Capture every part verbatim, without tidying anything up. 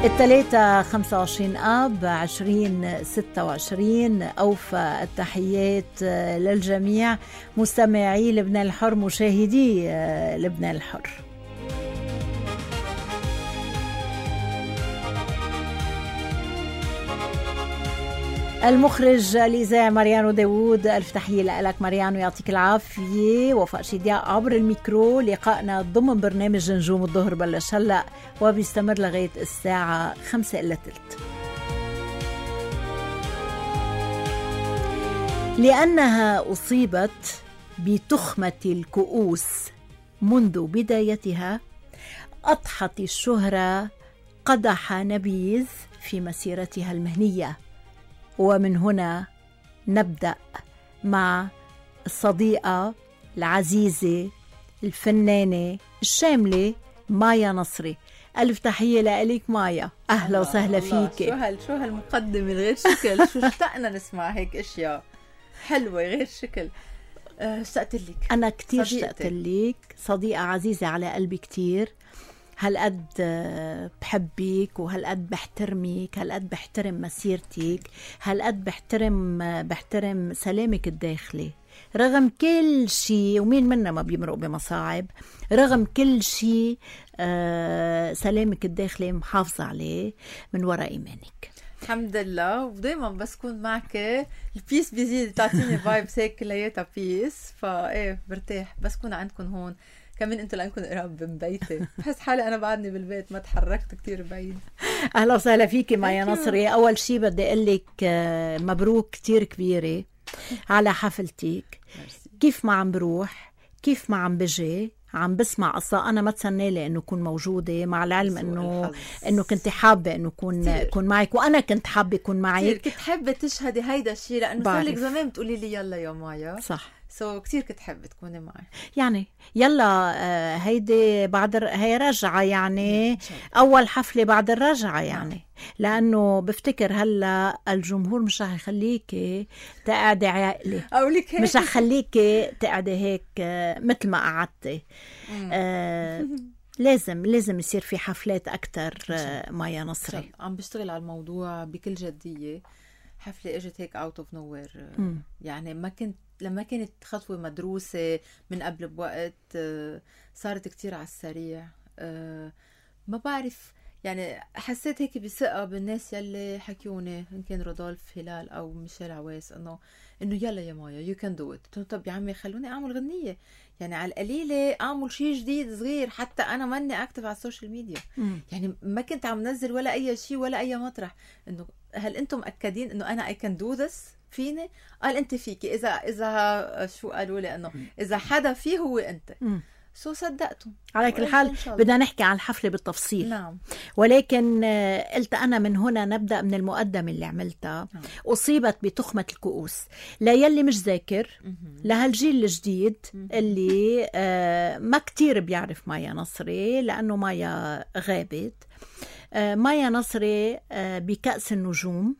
الثلاثة خمسة وعشرين آب عشرين ستة وعشرين. أوفى التحيات للجميع مستمعي لبنان الحر، مشاهدي لبنان الحر. المخرج الإذاعي ماريانو داوود، ألف تحية لك ماريانو، يعطيك العافية. وفاء شدياء عبر الميكرو. لقائنا ضمن برنامج نجوم الظهر بلش هلأ وبيستمر لغاية الساعة خمسة إلا تلت. لأنها أصيبت بتخمة الكؤوس منذ بدايتها، أضحت الشهرة قدح نبيذ في مسيرتها المهنية. ومن هنا نبدأ مع الصديقة العزيزة الفنانة الشاملة مايا نصري. ألف تحية لك مايا، أهلا وسهلا فيك. شو هال شو هالمقدمة غير شكل، شو اشتقنا نسمع هيك أشياء حلوة غير شكل. اشتقت لك، أنا كتير اشتقت لك، صديقة عزيزة على قلبي كتير. هالقد بحبك وهالقد بحترمك، هالقد بحترم مسيرتك، هالقد بحترم بحترم سلامك الداخلي رغم كل شيء. ومين منا ما بيمرق بمصاعب، رغم كل شيء سلامك الداخلي محافظة عليه من وراء إيمانك. الحمد لله. ودايما بس كون معك البيس بيزيد، تعطيني فايبس هيك كلياتها بيس، فايه برتاح بس كون عندكم هون. كمان انتوا لانكم قراب من بيتي، بحس حالي انا بعدني بالبيت، ما تحركت كتير بعيد. اهلا وسهلا فيكي مايا نصري. اول شي بدي اقول لك مبروك كتير كبيره على حفلتك. كيف ما عم بروح، كيف ما عم بجي، عم بسمع قصة أنا ما تسنالي إنه كون موجودة، مع العلم إنه إنه كنت حابة إنه كون كون معك، وأنا كنت حابة كون معك. كنت حابة تشهدي هيدا الشيء لأنه صار لك زمان بتقولي لي يلا يا مايا. صح. سو so, كتير كنت حابة تكوني معي. يعني يلا آه هيدي بعد هي رجعة، يعني أول حفلة بعد الرجعة، يعني لأنه بفتكر هلا الجمهور مش رح يخليكي تقعدي عاقلة، مش رح يخليكي تقعدي هيك آه مثل ما قعدتي. آه لازم لازم يصير في حفلات أكتر. آه مايا نصري عم بشتغل على الموضوع بكل جدية. حفلة اجت هيك اوت اوف نوير، يعني ما كنت لما كانت خطوة مدروسة من قبل بوقت، صارت كتير على السريع. ما بعرف، يعني حسيت هيك بثقة بالناس يلي حكيوني، إن كان رودولف هلال أو ميشيل عواس، إنه إنه يلا يا مايا يو كان دو إت. طب يا عمي خلوني أعمل غنية، يعني على القليلة أعمل شيء جديد صغير. حتى أنا ماني أكتف على السوشيال ميديا، مم. يعني ما كنت عم نزل ولا أي شيء ولا أي مطرح. إنه هل أنتم مأكدين إنه أنا I can do this؟ فيني؟ قال أنت فيكي. إذا إذا شو قالوا لي إنه إذا حدا فيه هو أنت. مم. سو صدقتم. على كل حال بدنا نحكي عن الحفلة بالتفصيل. نعم. ولكن قلت أنا من هنا نبدأ من المقدمة اللي عملتها. نعم. أصيبت بتخمة الكؤوس. لا يلي مش ذاكر، لهالجيل الجديد اللي آه ما كتير بيعرف مايا نصري لأنه مايا غابت. آه مايا نصري آه بكأس النجوم،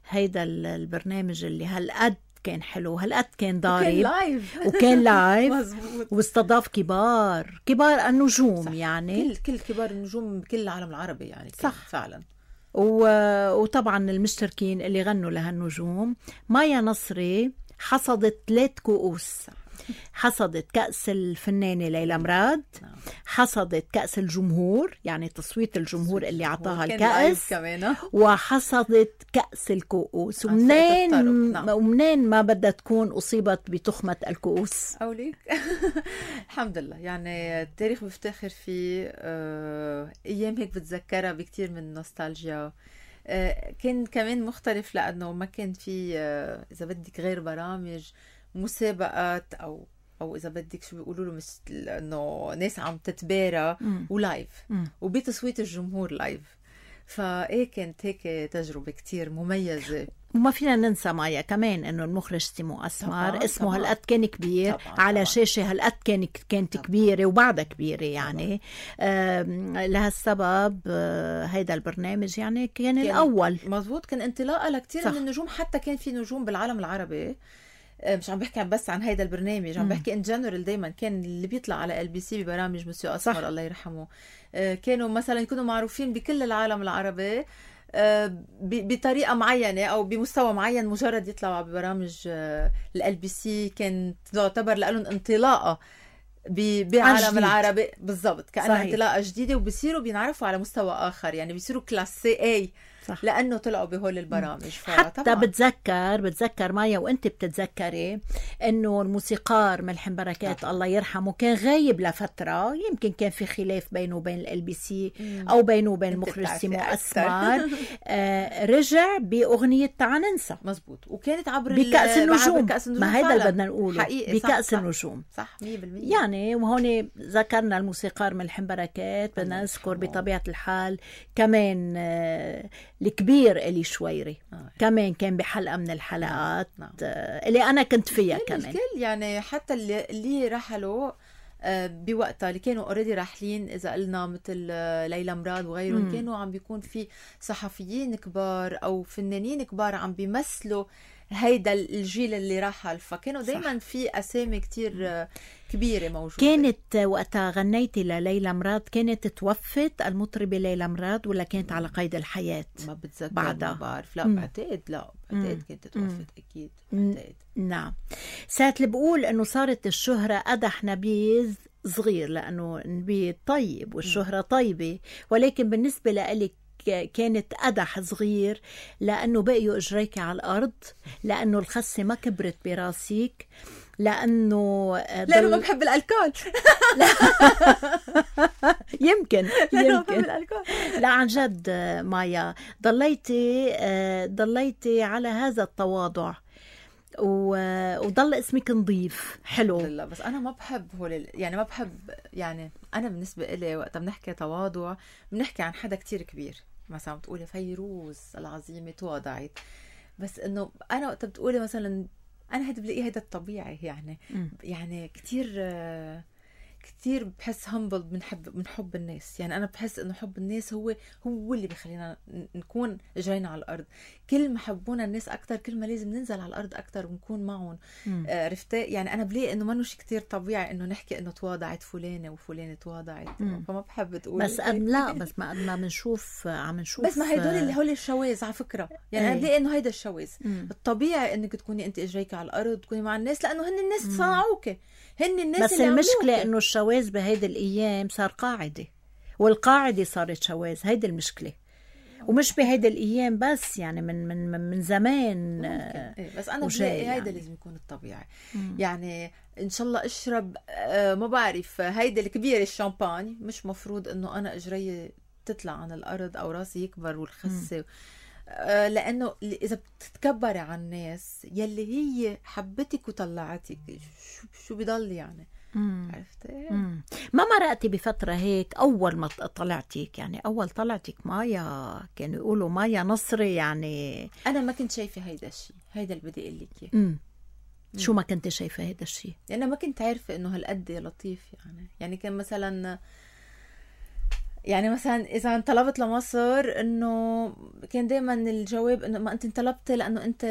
هيدا البرنامج اللي هالقد كان حلو، هالقد كان ضارب وكان لايف وكان لايف واستضاف كبار كبار النجوم. صح. يعني كل كل كبار النجوم بكل العالم العربي، يعني صح فعلا. وطبعا المشتركين اللي غنوا لهالنجوم. مايا نصري حصدت ثلاث كؤوس. حصدت كأس الفنانة ليلى مراد، حصدت كأس الجمهور، يعني تصويت الجمهور اللي عطاها الكأس، وحصدت كأس الكؤوس. ومنين ومنين ما بدها تكون أصيبت بتخمة الكؤوس؟ أوليك الحمد لله، يعني التاريخ بفتخر فيه. آه، أيام هيك بتذكرها بكتير من النوستالجيا. آه، كان كمان مختلف لأنه ما كان في آه، إذا بدك غير برامج مسابقات او او اذا بدك شو بيقولوا له، مثل انه ناس عم تتبارى ولايف وبتصويت الجمهور لايف. فايه كانت هيك تجربه كتير مميزه. وما فينا ننسى مايا كمان انه المخرج سيمو اسمر اسمه هالقد كان كبير طبعاً على طبعاً. شاشه هالقد كانت كانت طبعاً. كبيره وبعدها كبيره، يعني آه لهالسبب آه هيدا البرنامج يعني كان, كان الاول. مزبوط، كان انطلاقه لكتير من النجوم. حتى كان في نجوم بالعالم العربي مش عم بحكي بس عن هيدا البرنامج، عم بحكي ان جنرال. دايما كان اللي بيطلع على ال بي سي ببرامج مسيو اسمر الله يرحمه، كانوا مثلا يكونوا معروفين بكل العالم العربي بطريقه معينه او بمستوى معين، مجرد يطلعوا ببرامج ال بي سي كانت تعتبر لهم انطلاقه بعالم العربي بالضبط، كأنها انطلاقه جديده، وبصيروا بينعرفوا على مستوى اخر، يعني بيصيروا كلاس سي اي صح. لانه طلعوا بهول البرامج. حتى بتذكر بتذكر مايا وانت بتتذكري انه الموسيقار ملحم بركات الله يرحمه كان غايب لفتره، يمكن كان في خلاف بينه وبين ال بي سي او بينه وبين المخرج سيمو اسمر. آه رجع باغنيه تعا ننسى مزبوط، وكانت عبر بكأس النجوم. بكأس النجوم، ما هيدا اللي بدنا نقوله بكأس صح النجوم صح مية بالمية. يعني وهون ذكرنا الموسيقار ملحم بركات، بدنا نذكر بطبيعه الحال كمان آه الكبير إلي شويري آه. كمان كان بحلقة من الحلقات نعم. اللي أنا كنت فيها كمان الكل، يعني حتى اللي, اللي رحلوا بوقتها اللي كانوا اوريدي راحلين، إذا قلنا مثل ليلى مراد وغيرهم، مم. كانوا عم بيكون في صحفيين كبار أو فنانين كبار عم بيمثلوا هيدا الجيل اللي رحل، فكانوا دايما في أسامي كتير كبيرة موجودة. كانت وقتها غنيتي لليلى مراد كانت توفت المطربة ليلى مراد ولا كانت على قيد الحياة؟ ما بتذكر بعدها. ما بعرف، لا بعتقد لا بعتقد كانت توفت أكيد بعتقد. نعم. ساعة اللي بقول أنه صارت الشهرة أدح نبيذ صغير، لأنه نبيذ طيب والشهرة طيبة، ولكن بالنسبة لإلك كانت أدح صغير لأنه بقيوا إجريك على الأرض، لأنه الخسة ما كبرت براسيك، لأنه لأنه ما بحب الألكول يمكن يمكن لا عن جد مايا ضليتي ضليتي على هذا التواضع وضل اسمك نظيف حلو. لا بس أنا ما بحب هول يعني ما بحب يعني أنا بالنسبة إلي وقت بنحكي تواضع بنحكي عن حدا كتير كبير، مثلا بتقولي فيروز العظيمة تواضعت، بس إنه أنا وقت بتقولي مثلا أنا هيدا بلاقيه هيدا الطبيعي، يعني م. يعني كتير كتير بحس همبل من حب من حب الناس، يعني أنا بحس إنه حب الناس هو هو اللي بيخلينا نكون جرينا على الأرض. كل ما حبونا الناس أكتر كل ما لازم ننزل على الأرض أكتر ونكون معهم. عرفتي يعني أنا بلاقي إنه ما نوش كتير طبيعي إنه نحكي إنه تواضعت فلانة وفلانة تواضعت، فما بحب تقول بس أم لا بس ما ما بنشوف عم نشوف بس ما هيدول اللي هول الشواذ على فكرة، يعني ايه. أنا بلاقي إنه هيدا الشواذ الطبيعي إنك تكوني أنت إجريك على الأرض تكوني مع الناس، لأنه هن الناس صنعوك، هن الناس بس اللي المشكلة إنه الشواذ بهيدي الأيام صار قاعدة، والقاعدة صارت شواذ، هيدي المشكلة. ومش بهيدي الأيام بس، يعني من من من زمان. إيه بس أنا بلاقي يعني. هيدا لازم يكون الطبيعي. مم. يعني إن شاء الله أشرب آه ما بعرف هيدا الكبير الشامباني، مش مفروض إنه أنا إجري تطلع عن الأرض أو راسي يكبر والخسة، آه لأنه إذا بتتكبري عن الناس يلي هي حبتك وطلعتك شو شو بيضل يعني. عرفتي؟ ما مرقتي بفترة هيك أول ما طلعتك، يعني أول طلعتك مايا كانوا يقولوا مايا نصري، يعني أنا ما كنت شايفة هيدا الشيء، هيدا اللي بدي أقول لك إياه. شو ما كنت شايفة هيدا الشيء؟ يعني ما كنت عارفة إنه هالقد لطيف، يعني يعني كان مثلا يعني مثلا إذا انطلبت لمصر إنه كان دايما الجواب إنه ما أنت انطلبتي لأنه أنت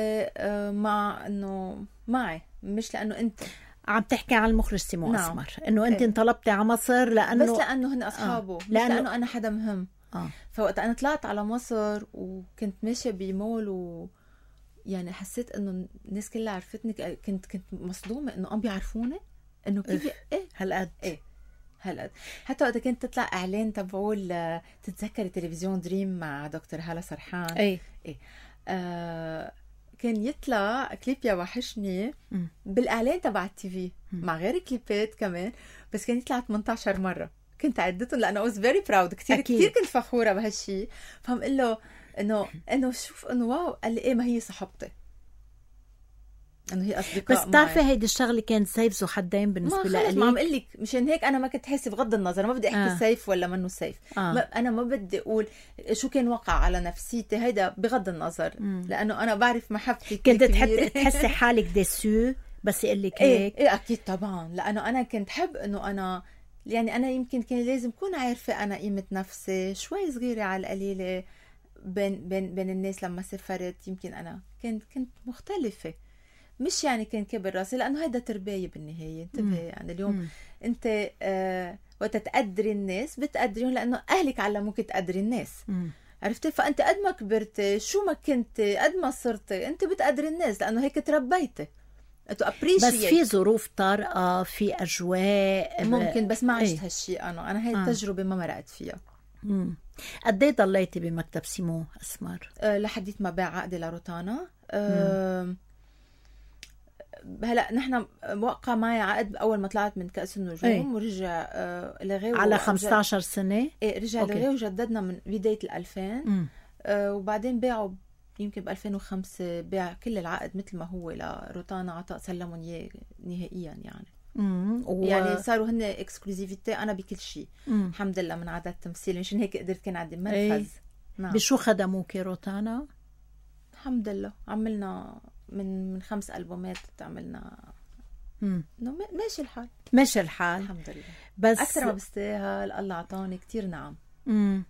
مع إنه معي، مش لأنه أنت عم تحكي عن المخرج سيمو نعم. أسمر إنه أنت انطلبتي على مصر لأنه بس لأنه هن أصحابه آه. مش لأنه... لأنه أنا حدا مهم آه. فوقت أنا طلعت على مصر وكنت ماشية بمول و يعني حسيت إنه الناس كلها عرفتني، كنت كنت مصدومة إنه عم بيعرفوني إنه كيف إيه هالقد إيه هالقد. حتى وقت كنت تطلع إعلان تبعول تتذكري تلفزيون دريم مع دكتور هالة سرحان إيه إيه آه كان يطلع كليب يا وحشني بالإعلان تبع التي في مع غير كليبات كمان، بس كان يطلع ثمانية عشر مرة، كنت عدتهم لأنه I was very proud كتير أكيد. كتير كنت فخورة بهالشي. فهم قل له إنه إنه شوف إنه واو، قال لي إيه ما هي صاحبتي، إنه هي أصدقاء. بس بتعرفي هيدي الشغلة كانت سيف ذو حدين بالنسبة لي. ما عم قلك مشان هيك أنا ما كنت حاسة بغض النظر، ما بدي أحكي آه. سيف ولا منه سيف آه. ما أنا ما بدي أقول شو كان وقع على نفسيتي، هيدا بغض النظر مم. لأنه أنا بعرف محبتي كنت تحسي حالك ديسو بس يقلك هيك إيه, إيه أكيد طبعا، لأنه أنا كنت حب إنه أنا يعني أنا يمكن كان لازم كون عارفة أنا قيمة نفسي شوي صغيرة على القليلة بين بين بين الناس. لما سافرت يمكن أنا كنت كنت مختلفة، مش يعني كان كبر راسي، لانه هيدا تربايه بالنهايه. انتبه يعني اليوم مم. انت آه وقت تقدري الناس بتقدريهم لانه اهلك علموك تقدري الناس. مم. عرفتي؟ فانت قد ما كبرتي شو ما كنتي قد ما صرتي انت بتقدري الناس لانه هيك تربيتي. بس في ظروف طارئه، في اجواء ممكن، بس ما عشت ايه؟ هالشيء انا انا هاي آه. التجربه ما مرقت فيها. قد ايه ضليتي بمكتب سيمو أسمر؟ أه لحديت ما باع عقدي لروتانا. أه هلا نحن وقع معي عقد اول ما طلعت من كأس النجوم ايه؟ ورجع أه لغيه على خمسة عشر سنه. ايه رجع لغيه وجددنا من بدايه الألفين. أه وبعدين باعوا يمكن ب ألفين وخمسة باع كل العقد مثل ما هو لروتانا، عطاء سلمهم اياه نهائيا يعني. و... يعني صاروا هن اكسكلوزيفيتي انا بكل شيء الحمد لله من عدد تمثيل، مشان هيك قدرت كان عندي منفذ. ايه؟ نعم. بشو خدموكي روتانا؟ الحمد لله عملنا من من خمس ألبومات عملنا. امم ماشي الحال ماشي الحال الحمد لله. بس اكثر ما بستاهل، الله اعطاني كتير نعم. امم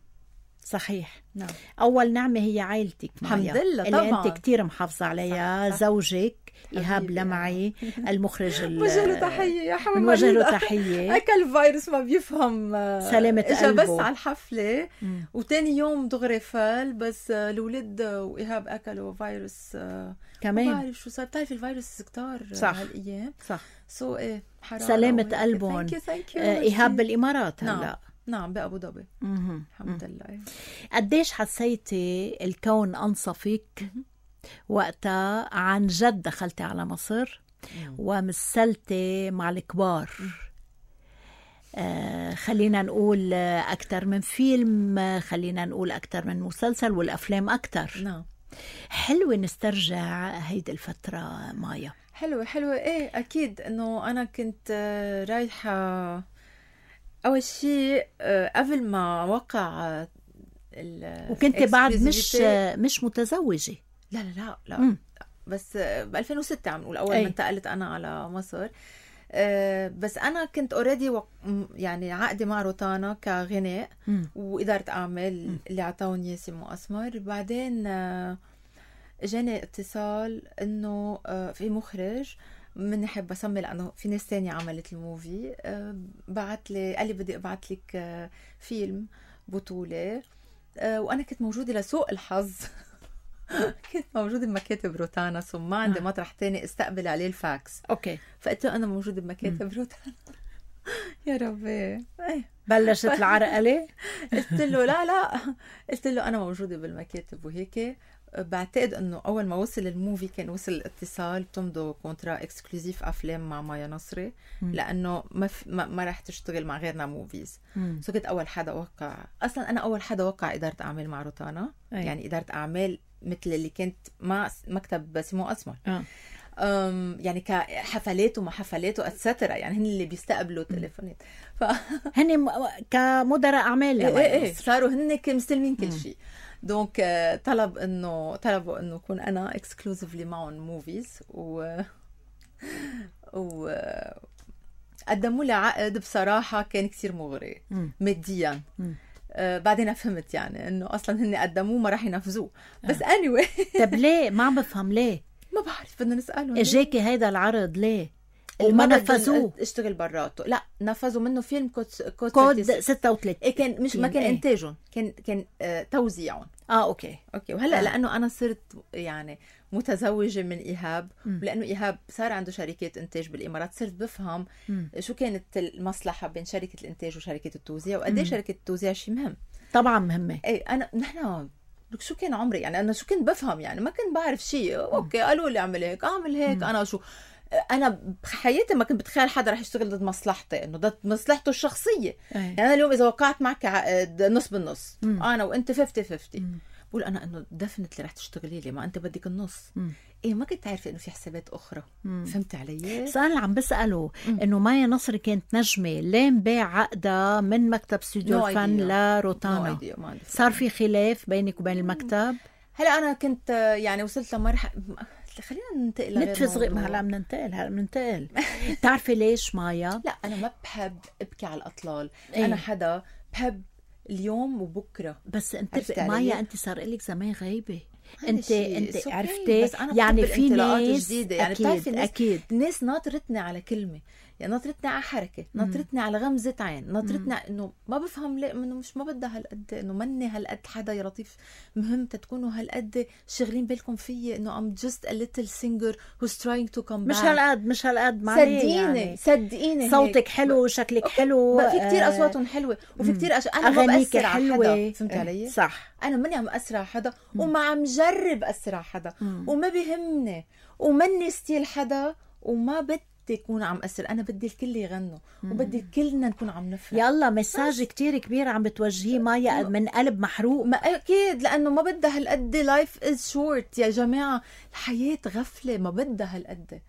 صحيح. نعم. أول نعمة هي عائلتك معي الحمد لله اللي طبعا أنت كتير محافظة عليها. صح صح. زوجك إيهاب لمعي المخرج وجه له تحية يا حبيبي، وجه له تحية. أكل فيروس ما بيفهم سلامة قلبه، بس على الحفلة مم. وتاني يوم دغري فل، بس الولد وإيهاب أكلوا فيروس كمان. ما بعرف شو صار، بتعرفي الفيروس كتار هالأيام. صح. سو إيه حرام. سلامة قلبهم. إيهاب بالإمارات هلا. نعم. نعم بأبو ظبي الحمد لله. قديش حسيتي الكون أنصفك وقتها عن جد دخلتي على مصر ومثلتي مع الكبار؟ آه خلينا نقول أكتر من فيلم، خلينا نقول أكتر من مسلسل، والأفلام أكتر. نعم. حلوة نسترجع هيدي الفترة مايا. حلوة حلوة إيه أكيد. إنه أنا كنت رايحة أول شيء قبل ما وقع وكنت بعد مش مش متزوجة. لا لا لا لا م. بس ب ألفين وستة عم نقول أول ما انتقلت أنا على مصر. بس أنا كنت أوريدي وق... يعني عقدي مع روتانا كغناء م. وإدارة أعمال م. اللي عطاوني سيمو أسمر. بعدين جاني اتصال إنه في مخرج مني حابة أسمي لأنه في ناس تانية عملت الموفي، بعت لي قال لي بدي أبعت لك فيلم بطولة، وأنا كنت موجودة لسوء الحظ كنت موجودة بمكاتب روتانا، ثم ما عندي مطرح تاني استقبل عليه الفاكس. أوكي. فقلت له أنا موجودة بمكاتب روتانا. يا ربي بلشت العرقلة. قلت له لا لا قلت له أنا موجودة بالمكاتب وهيك. بعتقد انه اول ما وصل الموفي كان وصل الاتصال بتمضوا كونترا اكسكلوزيف افلام مع مايا نصري، م. لانه ما, ف... ما ما رح تشتغل مع غيرنا موفيز. سو كنت اول حدا وقع، اصلا انا اول حدا وقع اداره اعمال مع روتانا. أي. يعني اداره اعمال مثل اللي كنت مع مكتب سيمو أسمر. أه. أم يعني كحفلات وما حفلات واتسترا، يعني هن اللي بيستقبلوا تليفونات. ف... هن م... كمدراء اعمال. ايه ايه صاروا هن مستلمين كل شيء. دونك طلب انه طلبوا انه اكون انا اكسكلوزيفلي معهم موفيز، و و قدموا لي عقد بصراحه كان كثير مغري ماديا. آه بعدين فهمت يعني انه اصلا هن قدموه ما راح ينفذوه. بس اني واي طب ليه؟ ما عم بفهم ليه. ما بعرف، بدنا نسالهم اجاكي هيدا العرض ليه وما نفذوه؟ اشتغل براته. لا نفذوا منه فيلم كود كود, كود ستة وثلاثين. إيه كان مش ما كان ايه؟ انتاجهم كان كان آه توزيعهم. اه اوكي اوكي. وهلا آه. لانه انا صرت يعني متزوجه من ايهاب، م. ولانه ايهاب صار عنده شركات انتاج بالامارات، صرت بفهم م. شو كانت المصلحه بين شركه الانتاج وشركه التوزيع، وقد ايه شركه التوزيع شيء مهم. طبعا مهمه. اي انا نحن لك شو كان عمري يعني، انا شو كنت بفهم يعني، ما كنت بعرف شيء. اوكي قالوا لي اعمل هيك اعمل هيك. م. انا شو انا بحياتي ما كنت بتخيل حدا رح يشتغل ضد مصلحتي، انه ضد مصلحته الشخصيه. أي. يعني انا اليوم اذا وقعت معك عقد نص بالنص، م. انا وانت خمسين خمسين، بقول انا انه دفنت اللي رح تشتغلي لي، ما انت بدك النص. م. ايه ما كنت عارفه انه في حسابات اخرى. مم. فهمت علي؟ سؤال اللي عم بساله انه مايا نصري كانت نجمه، لين باع عقدها من مكتب استوديو no الفن لروتانا. no صار في خلاف بينك وبين المكتب؟ هلا انا كنت يعني وصلت لمرحله، خلينا ننتقل لغير نتفز غير هلا بننتقل هلا بننتقل بتعرفي ليش مايا؟ لا انا ما بحب ابكي على الاطلال. ايه؟ انا حدا بحب اليوم وبكره. بس انت مايا انت صار لك زمان غايبه، انت انت عرفتي يعني في ناس جديده يعني بتعرفي الناس اكيد الناس ناطرتني على كلمه يعني ناطرتني على حركه ناطرتني على غمزه عين ناطرتني انه ما بفهم ليه انه مش ما بدها هالقد انه مني هالقد حدا يا لطيف مهم تكونوا هالقد شغلين بالكم فيي انه I'm just a little singer who's trying to come back. مش هالقد مش هالقد صدقيني يعني. صدقيني صوتك حلو شكلك أوكي. حلو بقى في كتير اصواتهم حلوه وفي كتير أش... انا ما بأثر على حدا فهمت علي صح انا ماني عم أثر على حدا وما عم جرب أثر على حدا وما بيهمني ومني ستيل حدا وما بدي يكون عم أثر انا بدي الكل يغنوا وبدي كلنا نكون عم نفرح. يلا مساج كتير كبير عم بتوجهيه مايا من قلب محروق. ما اكيد لانه ما بدها هالقد لايف از شورت يا جماعه الحياه غفله ما بدها هالقد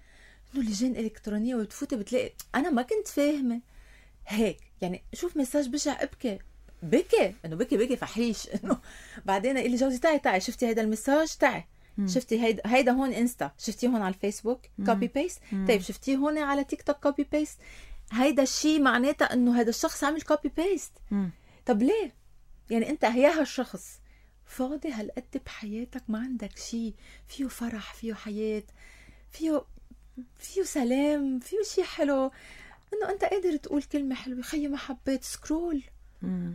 انه لجان الكترونيه وتفوتي بتلاقي انا ما كنت فاهمه هيك يعني شوف مساج بشع ابكي بكي انه بكي بكي فحيش انه بعدين قال لي جوزي تعي تعي شفتي هيدا المساج تعي شفتي هيدا هيدا هون انستا شفتيه هون على الفيسبوك كوبي بيست طيب شفتيه هون على تيك توك كوبي بيست هيدا الشيء معناتها انه هذا الشخص عمل كوبي بيست طب ليه يعني انت هيا هالشخص فاضي هالقد بحياتك ما عندك شيء فيه فرح فيه حياه فيه فيه سلام فيه شيء حلو انه انت قادر تقول كلمه حلوه خيي ما حبيت سكرول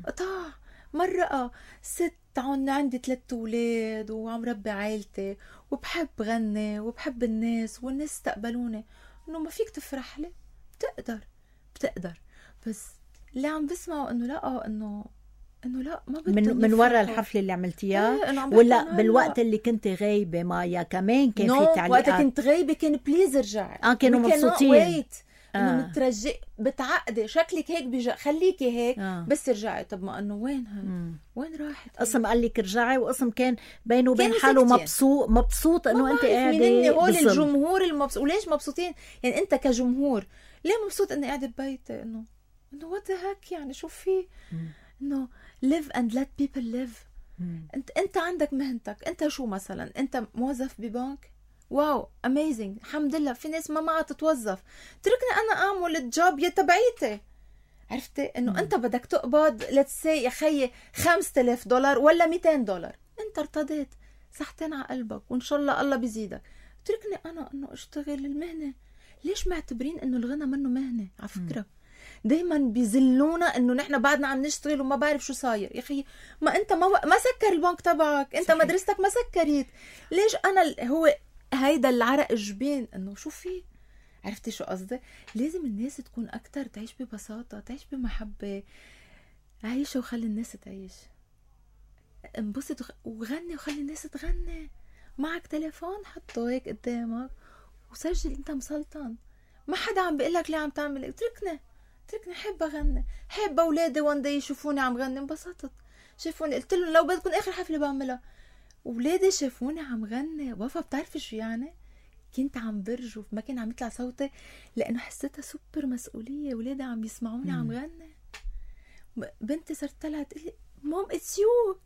قطع مرة ست عن عندي ثلاث أولاد وعم ربي عائلتي وبحب غني وبحب الناس والناس استقبلوني إنه ما فيك تفرح لي بتقدر بتقدر بس اللي عم بسمعوا إنه لا إنه إنه لا ما بدي من من وراء الحفلة اللي عملتيها ايه ولا بالوقت اللي كنت غايبة مايا كمان كان no, في تعليقات وقت كنت غايبة كان بليز ارجعي اه كانوا مبسوطين انه آه. مترجي بتعقدي شكلك هيك بيجا خليكي هيك آه. بس ارجعي طب ما انه وين هي وين راحت قسم قال لك ارجعي وقسم كان بينه وبين حاله مبسوط مبسوط انه انت قاعده هول الجمهور المبسوط وليش مبسوطين يعني انت كجمهور ليه مبسوط اني قاعده ببيتي انه انه وات هيك يعني شو في انه live and let people live مم. انت انت عندك مهنتك انت شو مثلا انت موظف ببنك واو اميزنج الحمد لله في ناس ما معها تتوظف تركني انا اعمل الجوب يا تبعيتي عرفتي انه مم. انت بدك تقبض ليتس سي يا خيي خمسة آلاف دولار ولا مئتين دولار انت ارتضيت صحتين على قلبك وان شاء الله الله بيزيدك تركني انا انه اشتغل المهنه ليش معتبرين انه الغنى منه مهنه على فكره دايما بيزلونا انه نحن بعدنا عم نشتغل وما بعرف شو صاير يا اخي ما انت ما ما سكر البنك تبعك انت صحيح. مدرستك ما سكرت ليش انا هو هيدا العرق الجبين انه شو في عرفتي شو قصدي لازم الناس تكون اكتر تعيش ببساطه تعيش بمحبه عيش وخلي الناس تعيش انبسط وخ... وغني وخلي الناس تغني معك تليفون حطه هيك قدامك وسجل انت مسلطن ما حدا عم بيقول لك ليه عم تعمل اتركني تركني حب اغني حب اولادي وان داي يشوفوني عم غني انبسطت شافوني قلت لهم لو بدكم اخر حفله بعملها اولادي شافوني عم غني وفا بتعرفي شو يعني كنت عم برجف ما كان عم يطلع صوتي لانه حسيتها سوبر مسؤوليه اولادي عم يسمعوني عم غني بنتي صارت طلعت تقول لي مام اتس يو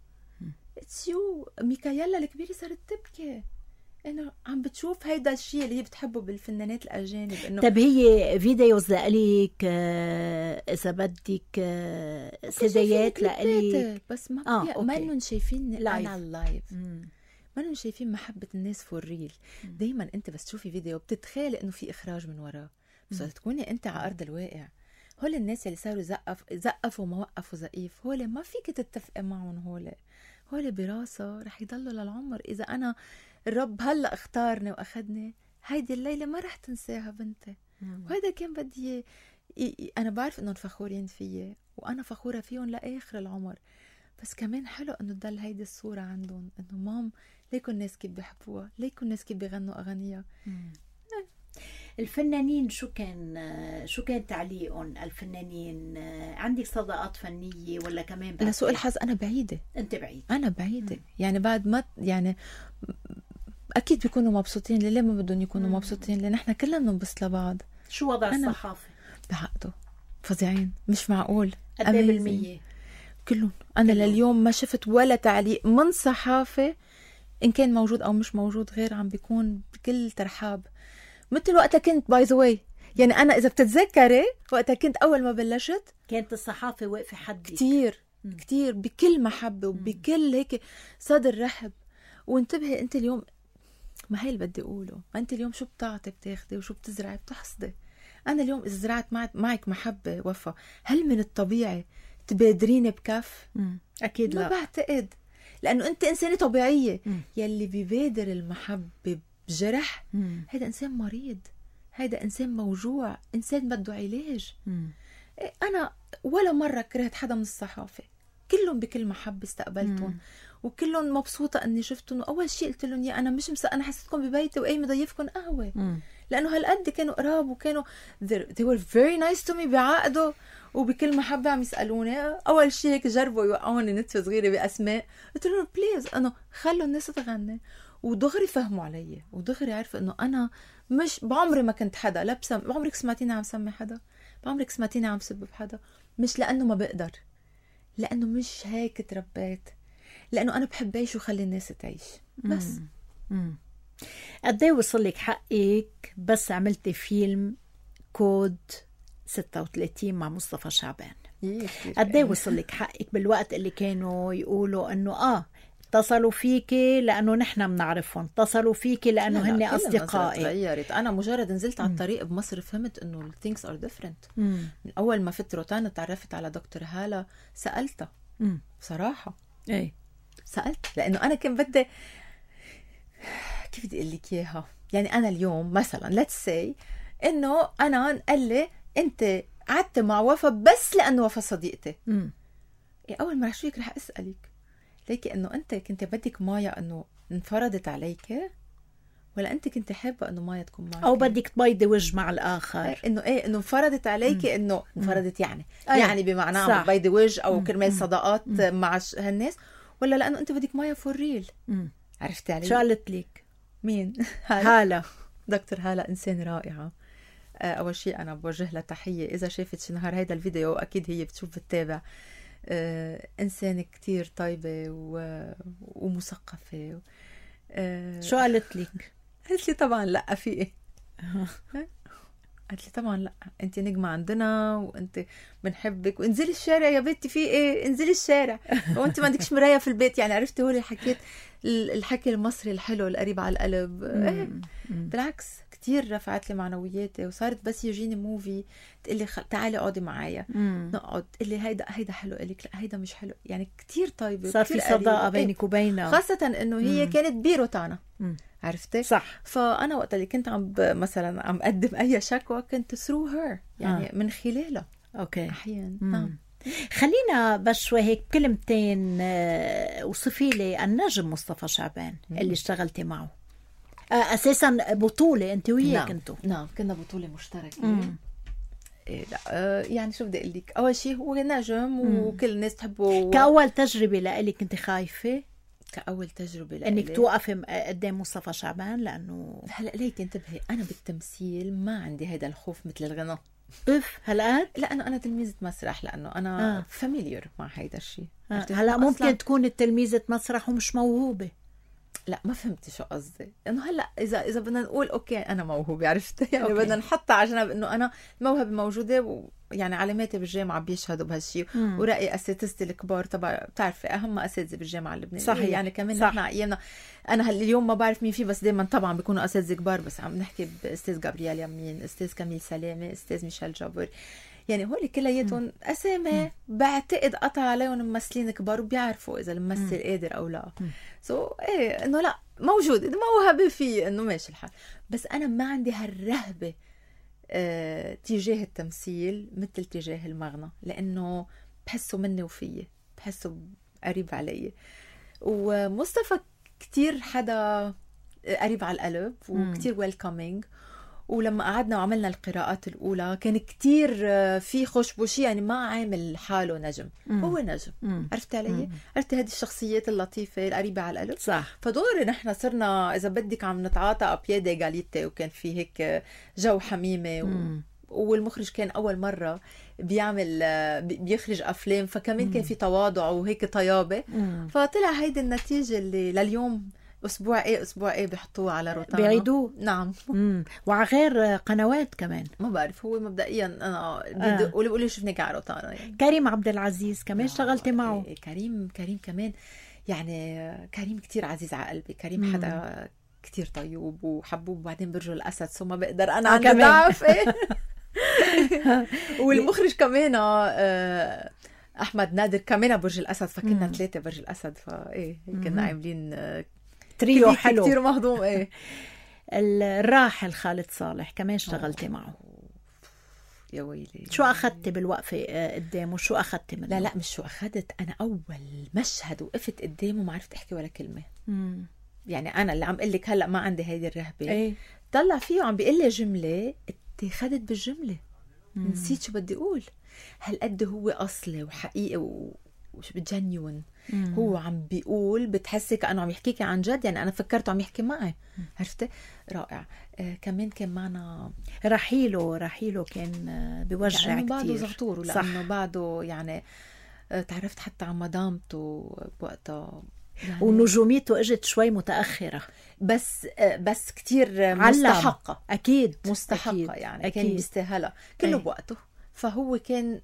اتس يو ميكايلا الكبيره صارت تبكي انه عم بتشوف هيدا الشيء اللي هي بتحبه بالفنانات الاجانب انه طب هي فيديوز لإلك اذا بدك سيديات لإلك بس ما آه ما انهم شايفين انا اللايف ما انهم شايفين محبه الناس فور ريل دايما انت بس تشوفي فيديو بتتخيلي انه في اخراج من وراه بس تكوني انت على ارض الواقع هول الناس اللي صاروا زقف زقفوا وما وقفوا زقيف هول ما فيك تتفقي معهم هول هول براسه رح يضلوا للعمر اذا انا الرب هلا اختارني واخذني هيدي الليله ما رح تنساها بنتي وهذا كان بدي انا بعرف انهم فخورين فيي وانا فخوره فيهم لاخر العمر بس كمان حلو انه تضل هيدي الصوره عندهم انه مام ليكوا الناس كيف بيحبوها ليكوا الناس كيف بيغنوا اغانيها. الفنانين شو كان شو كان تعليقهم الفنانين عندك صداقات فنيه ولا كمان لسوء الحظ انا بعيده انت بعيده انا بعيده مم. يعني بعد ما يعني اكيد بيكونوا مبسوطين ليه ما بدهم يكونوا مم. مبسوطين لان احنا كلنا بننبسط لبعض. شو وضع الصحافه بعقده فظيعين مش معقول قد ايه بالمية كلهم انا كلهم. لليوم ما شفت ولا تعليق من صحافه ان كان موجود او مش موجود غير عم بيكون بكل ترحاب مثل وقتها كنت باي ذا واي يعني انا اذا بتتذكري وقتها كنت اول ما بلشت كانت الصحافه واقفه حدي كتير م. كتير بكل محبه وبكل هيك صدر رحب وانتبهي انت اليوم، ما هي اللي بدي اقوله، ما انت اليوم شو بتعطي بتاخدي وشو بتزرعي بتحصدي. انا اليوم اذا زرعت معك محبه وفا، هل من الطبيعي تبادريني بكف؟ اكيد لا، ما بعتقد، لانه انت انسانه طبيعيه. مم. يلي بيبادر المحبه بجرح هيدا انسان مريض، هيدا انسان موجوع، انسان بده علاج. مم. انا ولا مره كرهت حدا من الصحافه، كلهم بكل محبه استقبلتهم، وكلهم مبسوطه اني شفتهم. واول شيء قلت لهم يا انا مش مس... انا حسيتكم ببيتي وقايمه ضيفكم قهوه. مم. لانه هالقد كانوا قراب، وكانوا they were very nice to me، بعقده وبكل محبه عم يسالوني. اول شيء هيك جربوا يوقعوني نتفه صغيره باسماء، قلت لهم بليز انه خلوا الناس تغني، ودغري فهموا علي، ودغري عرفوا انه انا مش بعمري ما كنت حدا، لا بسم... بعمرك سمعتيني عم سمي حدا، بعمرك سمعتيني عم سب بحدا، مش لانه ما بقدر، لانه مش هيك تربيت، لانه انا بحب اعيش وخلي الناس تعيش بس. مم. قد ايه وصل لك حقك بس عملتي فيلم كود ستة وثلاثين مع مصطفى شعبان؟ قد ايه وصل لك حقك بالوقت اللي كانوا يقولوا انه اه اتصلوا فيكي لانه نحن بنعرفهم، اتصلوا فيكي لانه هن اصدقائي؟ تغيرت. انا مجرد نزلت على الطريق بمصر فهمت انه things are different. مم. من اول ما فت روتانا تعرفت على دكتور هالة، سالتها مم. بصراحه ايه سالت، لانه انا كان بدي، كيف بدي اقول لك اياها، يعني انا اليوم مثلا let's say انه انا قال لي انت قعدت مع وفا بس لانه وفا صديقتي. امم إيه اول ما رح شويك رح اسالك ليكي انه انت كنت بدك مايا انه انفرضت عليك، ولا انت كنت حابه انه مايا تكون معك، او بدك تبيضي وجه مع الاخر؟ إيه انه ايه انه انفرضت عليكي، انه انفرضت يعني أيه. يعني بمعنى بيضي وجه او كرمال صداقات مع هالناس، ولا لانه انت بدك مايا فور ريل؟ عرفتي علي؟ شو قالت لك؟ مين؟ هالة. دكتور هالة إنسان رائعة. أول شيء أنا بوجه لها تحية، إذا شافت شي نهار هيدا الفيديو أكيد هي بتشوف بتتابع. إنسان كتير طيبة ومثقفة. شو قالت لك؟ قالت لي طبعا لأ في قالت لي طبعا لا، انت نجمة عندنا وانت بنحبك، وانزلي الشارع يا بنتي، في ايه انزلي الشارع، وانت ما عندكش مراية في البيت. يعني عرفتي هو اللي حكيت الحكي المصري الحلو القريب على القلب. ايه بالعكس كتير رفعت لي معنوياتي، وصارت بس يجيني موفي تقلي خ... تعالي اقعدي معايا نقعد، تقلي هيدا هيدا حلو، قالك لا هيدا مش حلو. يعني كتير طيبة، صار في صداقة بينك وبينها، خاصة انه هي مم. كانت بيروتانا. عرفتي؟ صح. فأنا وقت اللي كنت عم مثلا عم أقدم أي شكوى كنت through her، يعني آه. من خلالها. أوكي. أحيانا نعم. خلينا بس شوي هيك كلمتين وصفي لي النجم مصطفى شعبان مم. اللي اشتغلتي معه. أساسا بطولة أنت وياه نعم. كنتوا؟ نعم كنا بطولة مشتركة. إيه لا آه يعني شو بدي أقول لك، أول شيء هو نجم وكل الناس تحبه. كأول تجربة لإلك كنت خايفة؟ كأول تجربة لإلي إنك توقفي قدام مصطفى شعبان؟ لأنه هلأ ليك انتبهي، أنا بالتمثيل ما عندي هذا الخوف مثل الغناء. أف هلأ؟ لأنه أنا تلميذة مسرح، لأنه أنا آه. فاميليير مع هيدا الشيء. آه. هلأ ممكن أصلاً... تكون تلميذة مسرح ومش موهوبة. لا ما فهمتي شو قصدي، انه هلا اذا اذا بدنا نقول اوكي انا موهوبه، عرفت يعني بدنا نحطها على جنب انه انا الموهبه موجوده، ويعني علاماتي بالجامعه بيشهدوا بهالشيء، وراي اساتذتي الكبار تبع بتعرفي اهم اساتذه بالجامعه اللبنانيه. صحيح. يعني كمان نحن ايامنا، انا اليوم ما بعرف مين فيه، بس دائما طبعا بيكونوا اساتذه كبار، بس عم نحكي باستاذ جابرييل يمين، استاذ كميل سلامه، استاذ ميشيل جابر، يعني هول كلياتهم اسامي بعتقد قطع عليهم ممثلين كبار وبيعرفوا اذا الممثل قادر او لا. سو so, ايه انه لا موجود موهبه فيه انه ماشي الحال، بس انا ما عندي هالرهبه اه تجاه التمثيل مثل تجاه المغنى، لانه بحسه مني وفيه، بحسه قريب علي. ومصطفى كتير حدا قريب على القلب وكتير ويلكمينج، ولما قعدنا وعملنا القراءات الأولى كان كتير في خشبوشي، يعني ما عامل حاله نجم. مم. هو نجم. مم. عرفت علي؟ عرفت هذه الشخصيات اللطيفة القريبة على القلب. صح. فدوري نحن صرنا إذا بدك عم نتعاطى أبيادة غاليتي، وكان في هيك جو حميمة و... والمخرج كان أول مرة بيعمل بيخرج أفلام، فكمان مم. كان في تواضع وهيك طيابة. مم. فطلع هيدي النتيجة اللي لليوم اسبوع ايه اسبوع ايه بيحطوه على روتانا بيعيدوه. نعم. امم وعلى غير قنوات كمان، ما بعرف هو مبدئيا انا بدي اقول لي شفناك على روتانا. يعني كريم عبد العزيز كمان اشتغلتي معه. إيه كريم كريم كمان يعني كريم كتير عزيز على قلبي. كريم حدا كتير طيوب وحبوب، وبعدين برج الأسد سو ما بقدر أنا عندي ضعف. والمخرج كمان آه أحمد نادر كمان برج الأسد، فكنا ثلاثة برج الأسد، فإيه كنا عاملين آه تريو حلو كتير مهضوم. إيه الراحل خالد صالح كمان اشتغلتي معه. يا ويلي شو أخذتي بالوقفة قدامه؟ شو أخذتي منه؟ لا لا مش شو أخذت، أنا أول مشهد وقفت قدامه ما عرفت أحكي ولا كلمة. مم. يعني أنا اللي عم قلك هلأ ما عندي هيدي الرهبة. ايه؟ طلع فيه وعم بيقول لي جملة اتخذت بالجملة. مم. نسيت شو بدي أقول. هالقد هو أصلي وحقيقي وش بتجنيون. هو عم بيقول بتحسي كأنه عم يحكيكي عن جد، يعني أنا فكرته عم يحكي معي. عرفتي؟ رائع. آه كمان كان معنا رحيله رحيله كان بوجع كتير بعده زغطور، لأنه بعده يعني آه تعرفت حتى عن مدامته بوقتها يعني، ونجوميته اجت شوي متأخرة، بس آه بس كتير مستحقة. أكيد مستحقة أكيد. يعني أكيد. كان بيستاهلها كله بوقته، فهو كان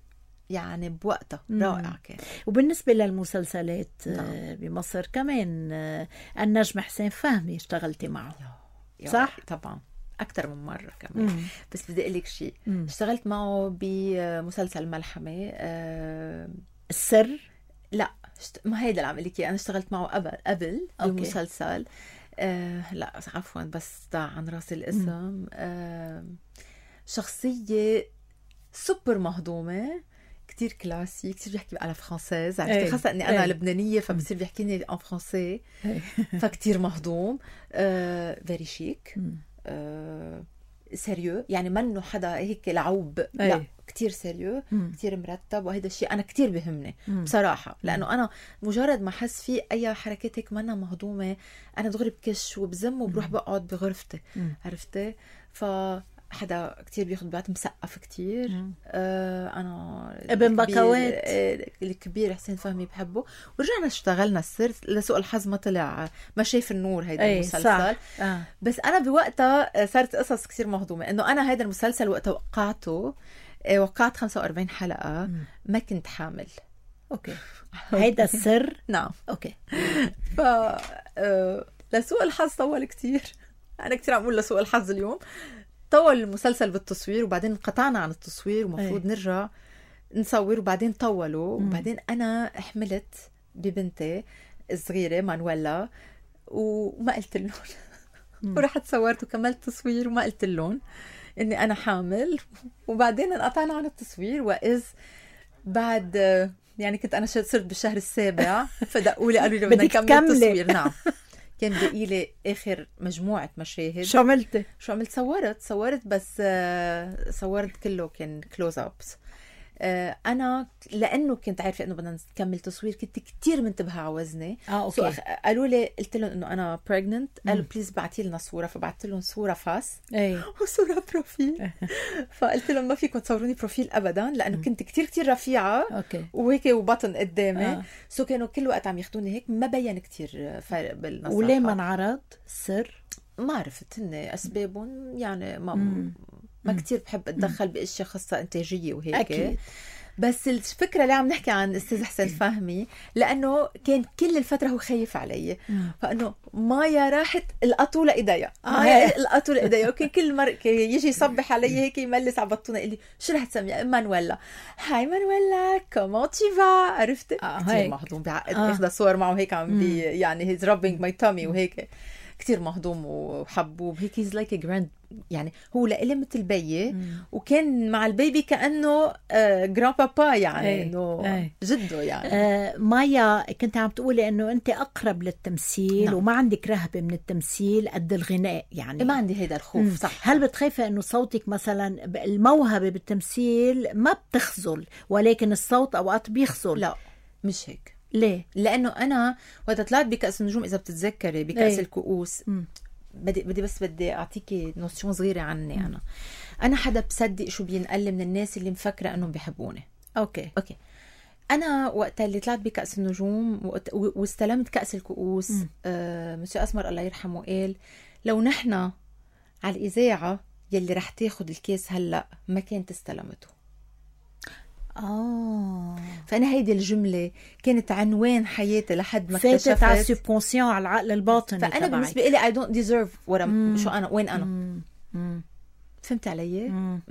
يعني بوقتها رائع كان. وبالنسبة للمسلسلات نعم. بمصر كمان النجم حسين فهمي اشتغلتي معه يا صح؟ طبعا أكتر من مرة كمان. مم. بس بدي أقول لك شيء، اشتغلت معه بمسلسل ملحمة آه السر. لا شت... ما هيدا اللي عم قلك أنا اشتغلت معه قبل قبل بمسلسل آه لا عفوا بس ضاع عن راسي الاسم. آه شخصية سوبر مهضومة كتير كلاسي، كتير بيحكي على فرانسيز. عرفتي خاصة اني انا أي. لبنانية فبصير بيحكيني ان فرانسي فكتير مهضوم. آه فيري شيك آه سيريو، يعني منه حدا هيك لعوب. أي. لا كتير سيريو مم. كتير مرتب، وهذا الشيء انا كتير بهمني مم. بصراحة، لانه انا مجرد ما حس في اي حركات هيك منا مهضومة انا دغري بكش وبزم وبروح بقعد بغرفتي. عرفتي؟ ف حدا كتير بياخد بعض مسقف كتير. آه أنا ابن بكوات الكبير حسين فهمي بحبه. ورجعنا اشتغلنا السر، لسوء الحظ ما طلع ما شايف النور هيدا المسلسل. آه. بس أنا بوقتها صارت قصص كتير مهضومة، إنه أنا هيدا المسلسل وقتها وقعته وقعت خمسة وأربعين حلقة مم. ما كنت حامل. أوكي هيدا السر. نعم أوكي. ف آه لسوء الحظ طول كتير. أنا كتير عم أقول لسوء الحظ اليوم. طول المسلسل بالتصوير وبعدين قطعنا عن التصوير ومفروض نرجع نصور، وبعدين طولوا. مم. وبعدين أنا حملت ببنتي الصغيرة مانويلا وما قلت لهم. ورحت صورت وكملت تصوير وما قلت لهم إني أنا حامل. وبعدين انقطعنا عن التصوير، وإذ بعد يعني كنت أنا صرت بالشهر السابع فدقوا لي قالوا لي بدنا نكمل التصوير. نعم كان بقي لي آخر مجموعة مشاهد. شو عملت؟ شو عملت؟ صورت صورت بس صورت كله كان كلوز أبس. أنا لأنه كنت عارفة إنه بدنا نكمل تصوير كنت كتير منتبهة على وزني. آه، أوكي. أخ... قالوا لي قلت لهم إنه أنا pregnant. قالوا بليز بعتي لنا صورة، فبعت لهم صورة فاس أي. وصورة بروفيل. فقلت لهم ما فيكم تصوروني بروفيل أبدا، لأنه كنت كتير كتير رفيعة. أوكي. وهيك وبطن قدامي. آه. سو كانوا كل وقت عم ياخدوني هيك، ما بين كتير فرق بالنصافة. وليه ما انعرض السر؟ ما عرفت هن أسبابهم يعني ما مم. ما كتير بحب أتدخل بأشياء خاصة إنتاجية وهيك. أكيد. بس الفكرة اللي عم نحكي عن أستاذ حسين فهمي لأنه كان كل الفترة هو خايف علي. فأنه مايا راحت القطو لإيديا مايا القطو لإيديا. وكان كل مرة يجي يصبح علي هيك يملس على بطونة يقول لي شو رح تسمي؟ مانويلا. هاي مانويلا كومون تي فا. عرفتي؟ كتير مهضوم بعقد. آه. اخذ صور معه هيك عم بي يعني هيز رابينج ماي تامي وهيك كتير مهضوم وحبوب هيك. هيز لايك جراند، يعني هو لإلي مثل بيي. وكان مع البيبي كأنه آه جران بابا، يعني انه جده يعني. آه مايا كنت عم تقولي انه انت اقرب للتمثيل. نعم. وما عندك رهبة من التمثيل قد الغناء، يعني ما عندي هيدا الخوف. مم. صح. هل بتخافي انه صوتك مثلا الموهبة بالتمثيل ما بتخزل ولكن الصوت اوقات بيخزل؟ لا مش هيك. ليه؟ لانه انا وقت طلعت بكأس النجوم اذا بتتذكري بكأس ايه؟ الكؤوس. مم. بدي بدي بس بدي اعطيكي نوشون صغيره عني. انا انا حدا بصدق شو بينقل من الناس اللي مفكره انهم بيحبوني. اوكي اوكي انا وقت اللي طلعت بكأس النجوم واستلمت كأس الكؤوس، آه مسيو اسمر الله يرحمه قال لو نحن على الاذاعه يلي رح تاخد الكاس هلا ما كانت استلمته. اه فانا هيدي الجمله كانت عنوان حياتي لحد ما اكتشفت فاتت على السبكونسيون، على العقل الباطني. فانا تبعي. بالنسبه لي I don't deserve what I'm شو انا وين انا مم. مم. فهمت علي؟ مم.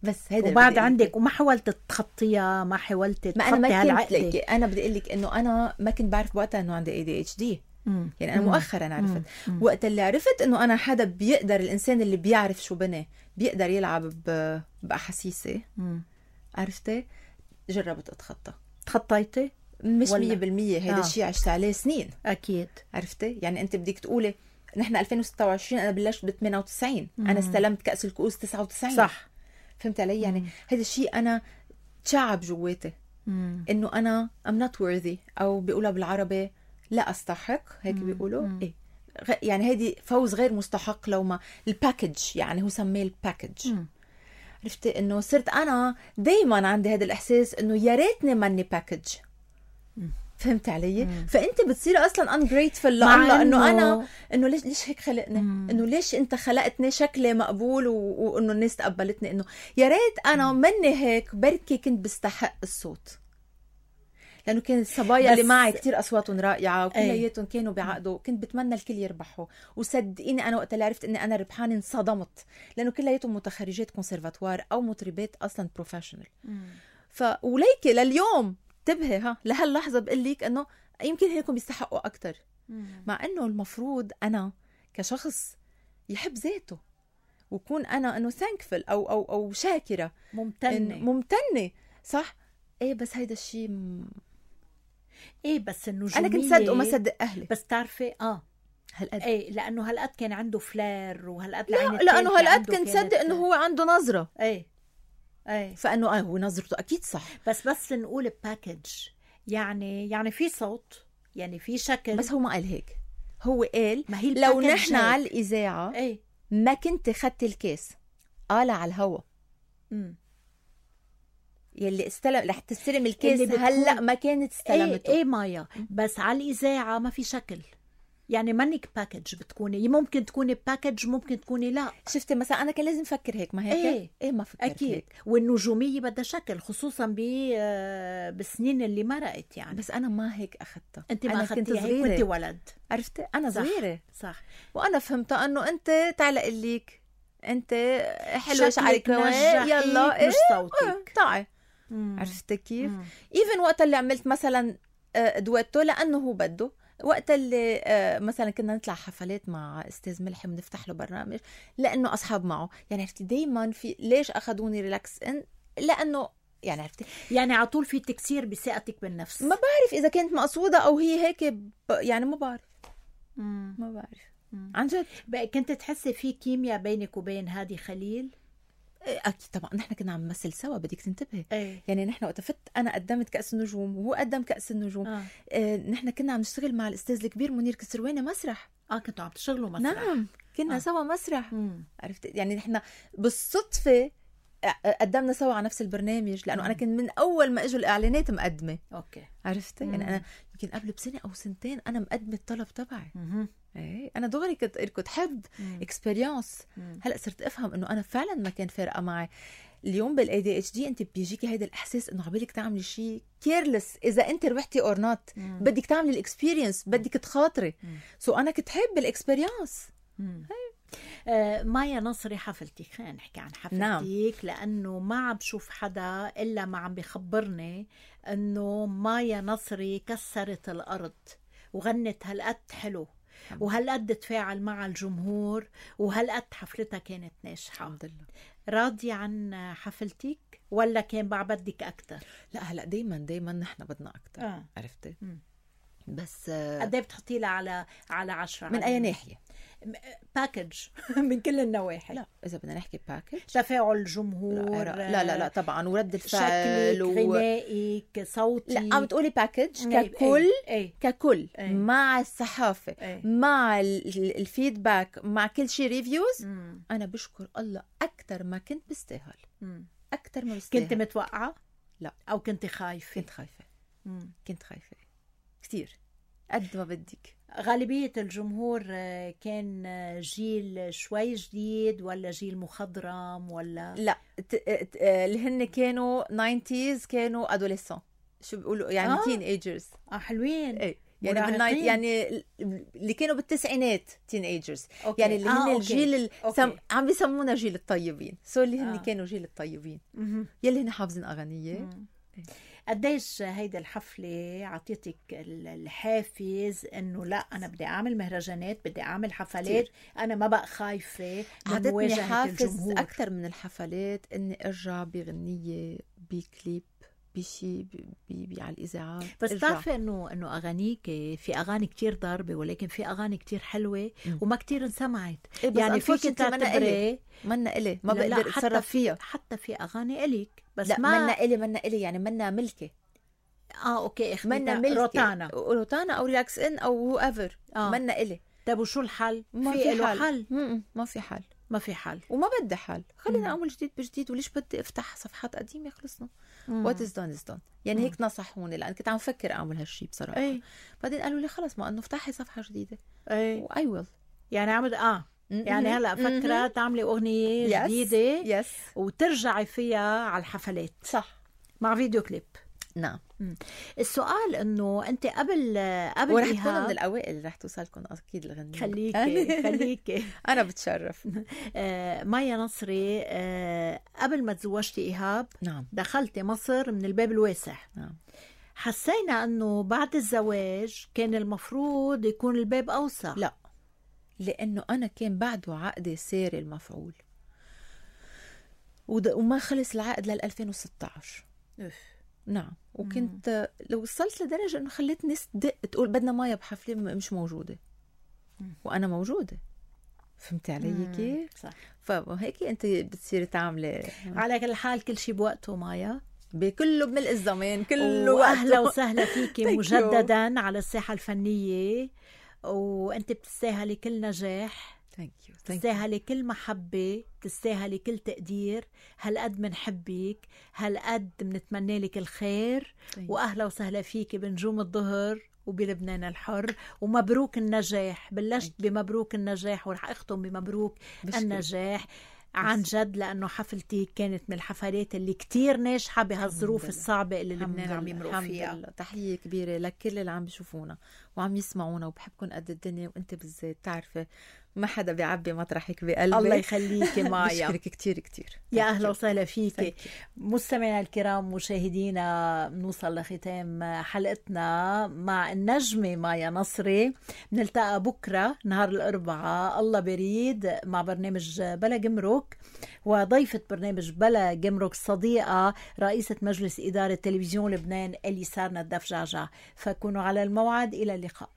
بس هيدا وبعد عندك وما حاولت تخطيها، ما حاولت ما انا ما تخطي كنت هالعقدة. لك انا بدي اقول لك انه انا ما كنت بعرف وقتها انه عندي إيه دي إتش دي. مم. يعني انا مم. مؤخرا عرفت. مم. وقت اللي عرفت انه انا حدا بيقدر، الانسان اللي بيعرف شو بني بيقدر يلعب ب... باحاسيسي، مم. عرفتي؟ جربت اتخطى. تخطيتي؟ مش ولا؟ مية بالمية هيدا آه. الشيء عشت عليه سنين. اكيد. عرفتي؟ يعني انت بدك تقولي نحن ألفين وستة وعشرين، انا بلشت ب ثمانية وتسعين، انا استلمت كأس الكؤوس تسعة وتسعين. صح. فهمت علي؟ يعني هيدا الشيء انا تشعب جواتي مم. انه انا I'm not worthy، او بيقولها بالعربي لا استحق، هيك بيقولوا. مم. ايه غ... يعني هيدي فوز غير مستحق. لو ما الباكج، يعني هو سميه الباكج. مم. عرفتي انه صرت انا دايما عندي هذا الاحساس انه يا ريتني ماني باكج. فهمت علي؟ مم. فانت بتصير اصلا ungrateful لله، انه انا انه ليش ليش هيك خلقني، انه ليش انت خلقتني شكلي مقبول و... وانه الناس تقبلتني، انه يا ريت انا مني هيك، بركي كنت بستحق الصوت. لانه كانت الصبايا اللي معي كتير اصواتهم رائعه وكلياتهم كانوا بعقده، كنت بتمنى الكل يربحوا. وصدقيني انا وقت اللي عرفت اني انا ربحانه انصدمت، لانه كلياتهم متخرجات كونسرفاتوار او مطربات اصلا بروفيشنال. ف وليكي لليوم انتبهي ها لهاللحظه بقول لك انه يمكن هيكم بيستحقوا اكثر، مع انه المفروض انا كشخص يحب ذاته وكون انا انه ثانكفل او او او شاكره ممتنه ممتنه. صح. ايه بس هيدا الشيء م... ايه بس النجوميه انا كنت صدق وما صدق اهلي. بس تعرفي اه هالقد ايه لانه هالقد كان عنده فلير، وهالقد لا لانه هالقد كنت صدق انه هو عنده نظره. ايه ايه فانه اه هو نظرته اكيد صح. بس بس نقول باكج، يعني يعني في صوت، يعني في شكل. بس هو ما قال هيك، هو قال ما هي لو نحن على الاذاعه ايه ما كنت خدت الكاس قال على الهوا. امم يلي استلم رح تستلم الكاس هلا ما كانت استلمته. ايه, إيه مايا، بس على الاذاعه ما في شكل، يعني منك باكج بتكوني، ممكن تكوني باكج ممكن تكوني لا. شفتي مثلا انا كان لازم افكر هيك، ما هيك ايه, إيه ما فكرت أكيد. هيك. والنجوميه بدها شكل، خصوصا ب بالسنين اللي مرقت يعني. بس انا ما هيك اخذتها. انت ما اخذتيها هيك وانت ولد. عرفتي انا صغيره. صح. وانا فهمتها انه انت تعلق لك انت حلوه شعرك يلا ايه مش صوتك اه تعي. عرفتي كيف؟ ايفن وقت اللي عملت مثلا دويتو لانه هو بده، وقت اللي مثلا كنا نطلع حفلات مع استاذ ملحي بنفتح له برنامج لانه اصحاب معه، يعني عرفتي دايما في ليش اخذوني ريلاكس ان لانه يعني عرفتي يعني على طول في تكسير بثقتك بالنفس. ما بعرف اذا كانت مقصوده او هي هيك ب... يعني ما بعرف. مم. ما بعرف مم. عن جد. كنت تحسي في كيمياء بينك وبين هادي خليل؟ اكيد طبعا، نحن كنا عم نمثل سوا، بدك تنتبهي. أيه. يعني نحن وقت فت انا قدمت كأس النجوم وهو قدم كأس النجوم. آه. آه نحن كنا عم نشتغل مع الاستاذ الكبير منير كسرواني مسرح. اه كنتوا عم تشتغلوا مسرح. نعم كنا آه. سوا مسرح. مم. عرفت يعني نحن بالصدفه قدمنا سوا على نفس البرنامج، لانه انا كنت من اول ما اجوا الاعلانات مقدمه. اوكي. عرفتي يعني انا يمكن قبل بسنه او سنتين انا مقدمه الطلب تبعي. ايه انا دغري كنت كنت حب اكسبيرينس. هلا صرت افهم انه انا فعلا ما كان فارقه معي. اليوم بالاي دي اتش دي انت بيجيكي هيدا الاحساس انه عبالك تعملي شيء كيرلس اذا انت ربحتي اور نوت، بدك تعملي الاكسبيرينس، بدك تخاطري. سو so انا كنت حب الاكسبيرينس. آه مايا نصري حفلتك، خلينا نحكي عن حفلتك. نعم. لأنه ما عم بشوف حدا إلا ما عم بيخبرني أنه مايا نصري كسرت الأرض وغنت هالقد حلو وهالقد تفاعل مع الجمهور وهالقد حفلتها كانت ناجحة. الحمد لله. راضية عن حفلتك ولا كان بعبدك أكتر؟ لا هلأ دايما دايما نحن بدنا أكتر. آه. عرفتي؟ م. بس قد ايه بتحطي لها على على عشرة؟ من أي ناحية؟ باكج من كل النواحي. لا إذا بدنا نحكي باكج، تفاعل الجمهور. لا لا لا, لا طبعا، ورد الفعل، شكلك، و... غنائك، صوتي. لا عم تقولي باكج ككل. ايه. ايه. ككل ايه. مع الصحافة ايه. مع الفيدباك، مع كل شيء ريفيوز. مم. أنا بشكر الله أكتر ما كنت بستاهل. مم. أكتر ما بستاهل. كنت متوقعة؟ لا. أو كنت خايفة؟ كنت خايفة. مم. كنت خايفة كتير. قد ما بدك. غالبية الجمهور كان جيل شوي جديد ولا جيل مخضرم ولا؟ لا اللي هن كانوا تسعينات كانوا ادوليسون، شو بيقولوا يعني آه. تين ايجرز. اه حلوين. ايه يعني بالنايت يعني اللي كانوا بالتسعينات تين ايجرز، يعني اللي هن آه، الجيل سم... عم بيسمونا جيل الطيبين، سو اللي هن آه. كانوا جيل الطيبين مم. يلي هن حافظين اغانيه. قديش هيدا الحفلة عطيتك الحافز انه لا انا بدي اعمل مهرجانات، بدي اعمل حفلات كتير. انا ما بقى خايفة من مواجهة حافز الجمهور اكثر من الحفلات اني ارجع بغنية بكليب بشي بي بي على الاذاعات. بس بتعرفي انه انه اغانيك في اغاني كتير ضاربه ولكن في اغاني كتير حلوه م. وما كتير انسمعت. إيه يعني فيك تعتبري منا إلي ما بقدر اتصرف فيها. حتى في اغاني الك بس لا ما منا إلي منا إلي يعني منا ملكي. اه اوكي منا ملكي روتانا روتانا او ريلاكس ان او هو ايفر آه. منا إلي. طيب وشو الحل؟ ما في, في له حل, حل. م-م. ما في حل ما في حل وما بدي حل. خلينا اعمل جديد بجديد، وليش بدي افتح صفحات قديمه؟ خلصنا وات از دون از دون. يعني مم. هيك نصحوني لان كنت عم فكر اعمل هالشيء بصراحه. أي. بعدين قالوا لي خلص ما انه افتحي صفحه جديده. اي واي ويل يعني عمد اه م-م. يعني هلا فكره م-م. تعملي اغنيه yes. جديده يس. وترجعي فيها على الحفلات صح مع فيديو كليب. نعم. السؤال انه انت قبل قبل ورح تكون من الاوائل اللي رح توصلكم اكيد الغنية. خليكي خليكي انا بتشرف. آه مايا نصري، آه قبل ما تزوجتي ايهاب نعم دخلتي مصر من الباب الواسع. نعم. حسينا انه بعد الزواج كان المفروض يكون الباب اوسع. لا لانه انا كان بعده عقدي ساري المفعول وما خلص العقد لل ألفين وستة عشر. أف. نعم. وكنت مم. لو وصلت لدرجة انه خليت ناس تدق تقول بدنا مايا بحفلة مش موجودة. مم. وانا موجودة. فهمتي علي كيف؟ صح. فهيك انت بتصيري تعملي. على كل حال كل شيء بوقته مايا، بكله بملء الزمان كله. واهلا وسهلا فيكي مجددا على الساحة الفنية، وانت بتستاهلي كل نجاح، بتستاهلي كل محبة، بتستاهلي كل تقدير. هالقد منحبك، هالقد منتمنى لك الخير. واهلا وسهلا فيكي بنجوم الظهر وبلبنان الحر، ومبروك النجاح. بلشت بمبروك النجاح ورح اختم بمبروك النجاح عن جد، لأنه حفلتي كانت من الحفلات اللي كتير ناجحة بهالظروف الصعبة اللي لبنان عم يمرق فيها. تحية كبيرة لكل اللي عم بيشوفونا وعم يسمعونا، وبحبكم قد الدنيا، وانت بالذات تعرفي ما حدا بيعبي مطرحك بقلبي. الله يخليكي مايا. بشكرك كتير كتير. يا أهلا وسهلا فيكي. مستمعينا الكرام مشاهدينا، بنوصل لختام حلقتنا مع النجمة مايا نصري. بنلتقى بكرة نهار الأربعاء الله بريد مع برنامج بلا جمرك، وضيفة برنامج بلا جمرك صديقة رئيسة مجلس إدارة تلفزيون لبنان إليسار ندف جعجع. فكونوا على الموعد. إلى اللقاء.